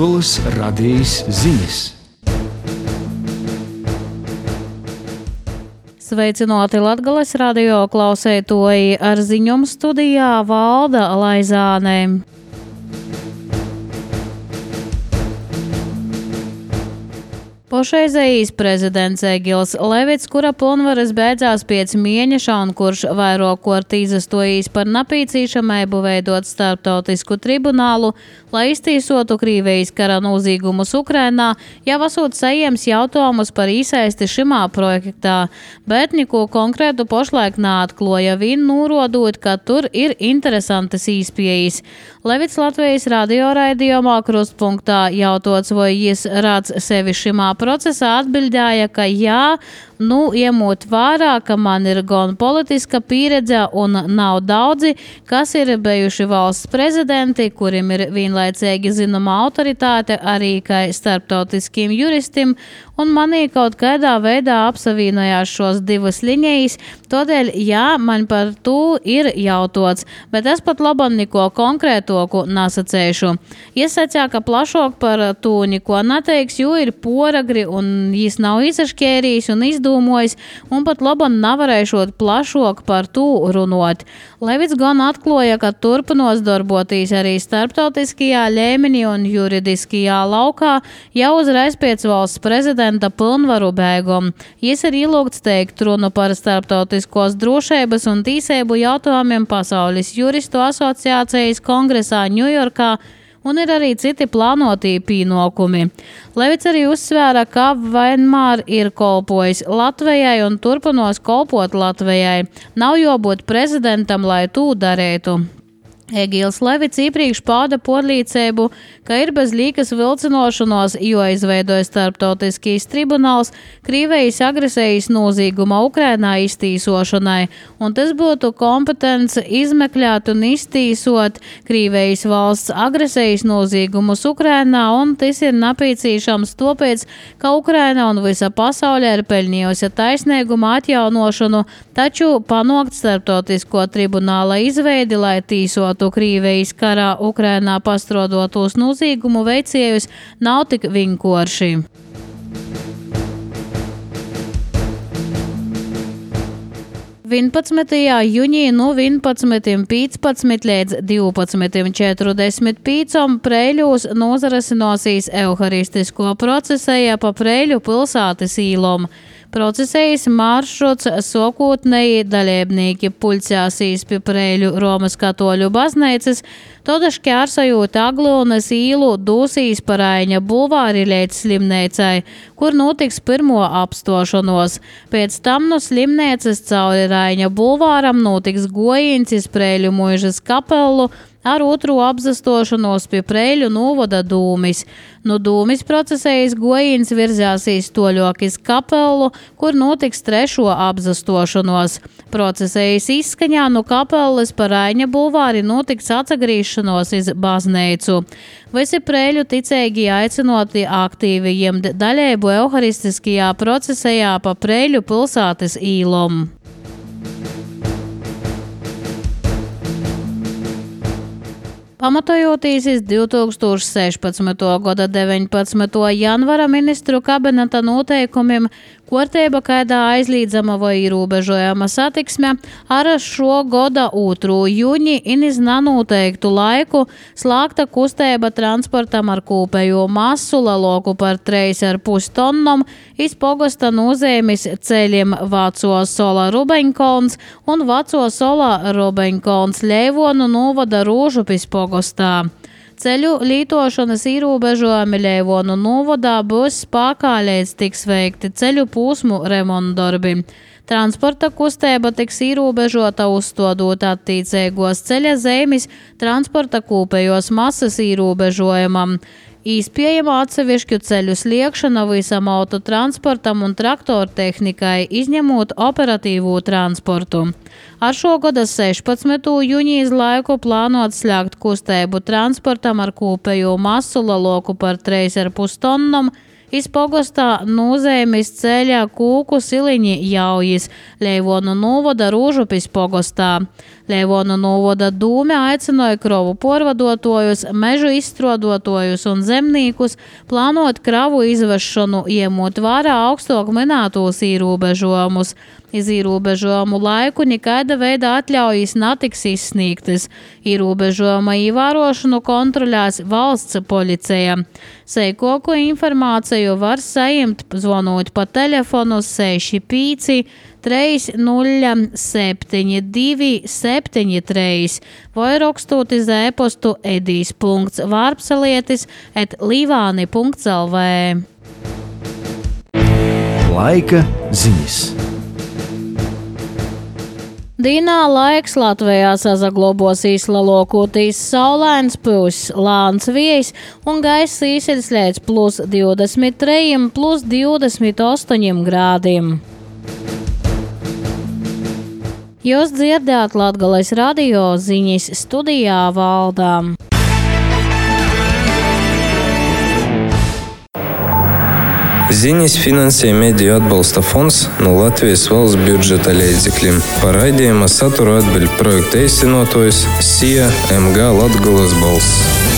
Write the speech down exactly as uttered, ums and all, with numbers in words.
Latgolas radijas ziņas. Sveicināti Latgolas radio klausētoji, ar ziņumu studijā Valda Laizāne. Pašreizējais prezidents Egils Levits, kura pilnvaras beidzās pēc mēneša un kurš vairākkārt izastojis par napīcīšamību veidot starptautisku tribunālu, lai iztīsotu Krīvijas kara nozīgumus Ukrainā, jau esot saņēmis jautājumus par īsaisti šimā projektā, bet neko konkrētu pašlaik neatkloja, vien norādot, ka tur ir interesantas īspējas. Levits Latvijas radio raidījumā Krustpunktā jautāts, vai jis redz sevi šimā procesā, atbildēja, ka jā, nu, iemot vērā, ka man ir gan politiska pieredze un nav daudzi, kas ir bijuši valsts prezidenti, kuriem ir vienlaicīgi zinama autoritāte arī kā starptautiskiem juristim, un manī kaut kādā veidā apsavienojās šos divas līnijas, tādēļ jā, man par to ir jautāts, bet es pat labam neko konkrētoku nesacēšu. Es sacīju, ka plašāk par to neko neteiks, jo ir poragri un jis nav izaškērījis un izdomojis, un pat labam nevarēšot plašāk par to runot. Levits gan atklāja, ka turpinos darboties arī starptautiskajā līmenī un juridiskajā laukā jau uzreiz pēc valsts prezidenta pilnvaru beigām. Jis ir ielūgts teikt runu par starptautiskos drošības un tīsību jautājumiem Pasaules juristu asociācijas kongresā Ņujorkā, un ir arī citi plānotie pienākumi. Levits arī uzsvēra, ka vienmēr ir kolpojis Latvijai un turpinos kolpot Latvijai. Nav jābūt prezidentam, lai to darītu. Egils Levits iepriekš pauda pārliecību, ka ir bez līkas vilcinošanos, jo izveidoja starptautiskīs tribunāls Krīvijas agresijas nozīguma Ukrainā iztīsošanai, un tas būtu kompetents izmeklēt un iztīsot Krīvijas valsts agresijas nozīgumus Ukrainā, un tas ir napīcīšams tāpēc, ka Ukraina un visa pasaule ir pelnījusi taisnīguma atjaunošanu, taču panākt starptautisko tribunāla izveidi, lai tīsotu Krīvijas karā Ukrainā pastrodotos nozīgumu veicējus, nav tik vienkārši. vienpadsmitajā jūnijā no vienpadsmitajiem piecpadsmit līdz divpadsmitajiem četrdesmit pieciem Preiļos nozarasinosies euharistisko procesēja pa Preiļu pilsētas īlom. Procesējas maršruts sokotnēji dalībnieki pulcēsīs pie Preiļu Romas katoļu baznīcas, tad šķērsojot Aglunas īlu dūsīs pa Raiņa bulvāri līdz slimnīcai, kur notiks pirmo apstošanos. Pēc tam no slimnīcas cauri Raiņa bulvāram notiks gojiens iz Preiļu muižas kapelu, ar otru apzastošanos pie Preiļu novada Dūmis. No Dūmis procesējas gojiens virzāsīs toļok iz kapelu, kur notiks trešo apzastošanos. Procesējas izskaņā no kapeles pa Raiņa bulvāri notiks atsagrīšanos iz baznīcu. Visi Preiļu ticēgi aicinoti aktīvi ņemt daļēbu euharistiskajā procesējā pa Preiļu pilsētas īlom. Pamatojoties iz divi tūkstoši sešpadsmitā gada deviņpadsmitā janvāra ministru kabineta noteikumiem, kārtība, kādā aizliedzama vai ierobežojama satiksme, ar šo gada otro jūni un iz nenoteiktu laiku slēgta kustība transportam ar kopējo masu lielāku par trīs ar pus tonnom iz pogosta nozīmes ceļiem Vaco Sola Rubeņkalns un Vaco Sola Rubeņkalns Leivonu novada Rūžupis pogostā. Ceļu lītošanas ierobežojumi Leivonu novadā būs spēkā līdz tiks veikti ceļu posmu remontdarbi. Transporta kustība tiks ierobežota uzstādot attiecīgos ceļa zīmes transporta kopējos masas ierobežojumam. Īspējama atsevišķu ceļu sliekšana visam autotransportam un traktortehnikai, izņemot operatīvo transportu. Ar šo gada sešpadsmitā jūnijas laiku plānot slēgt kustību transportam ar kopējo masu lielāku par trīs ar pus tonnom, iz pogostā Nūzeimis ceļa Kūku Siliņi Jaujis, Leivonu novada Rūžupis pogostā. Leivonu novada dūme aicināja krovu porvadotojus, mežu izstrādātojus un zemniekus plānot kravu izvešanu, iemot vērā augstāk minētos ierobežojumus. Iz ierobežojumu laiku nekaida veida atļaujas netiks izsniegtas. Ierobežojuma ievērošanu kontrolēs valsts policija. Seikoku informāciju var saņemt zvanot pa telefonu seši pieci trīs nulle septiņi divi septiņi trīs vai rakstot iz e-postu edīs punkts vārpsalietis et līvāni punkts lv. Laika ziņas. Dīnā laiks Latvijā sazaglobosīs lielākoties saulains, pūs lāns vējs un gaiss īsiļs līdz plus divdesmit trīs, plus divdesmit astoņi grādiem. Jūs dzirdējāt Latgales radio ziņas, studijā Valdā. Ziņas finansē Mediju atbalsta fonds no Latvijas valsts budžeta līdzekļiem. Par raidījuma saturu atbild projekta īstenotājs S I A M G Latgales balss.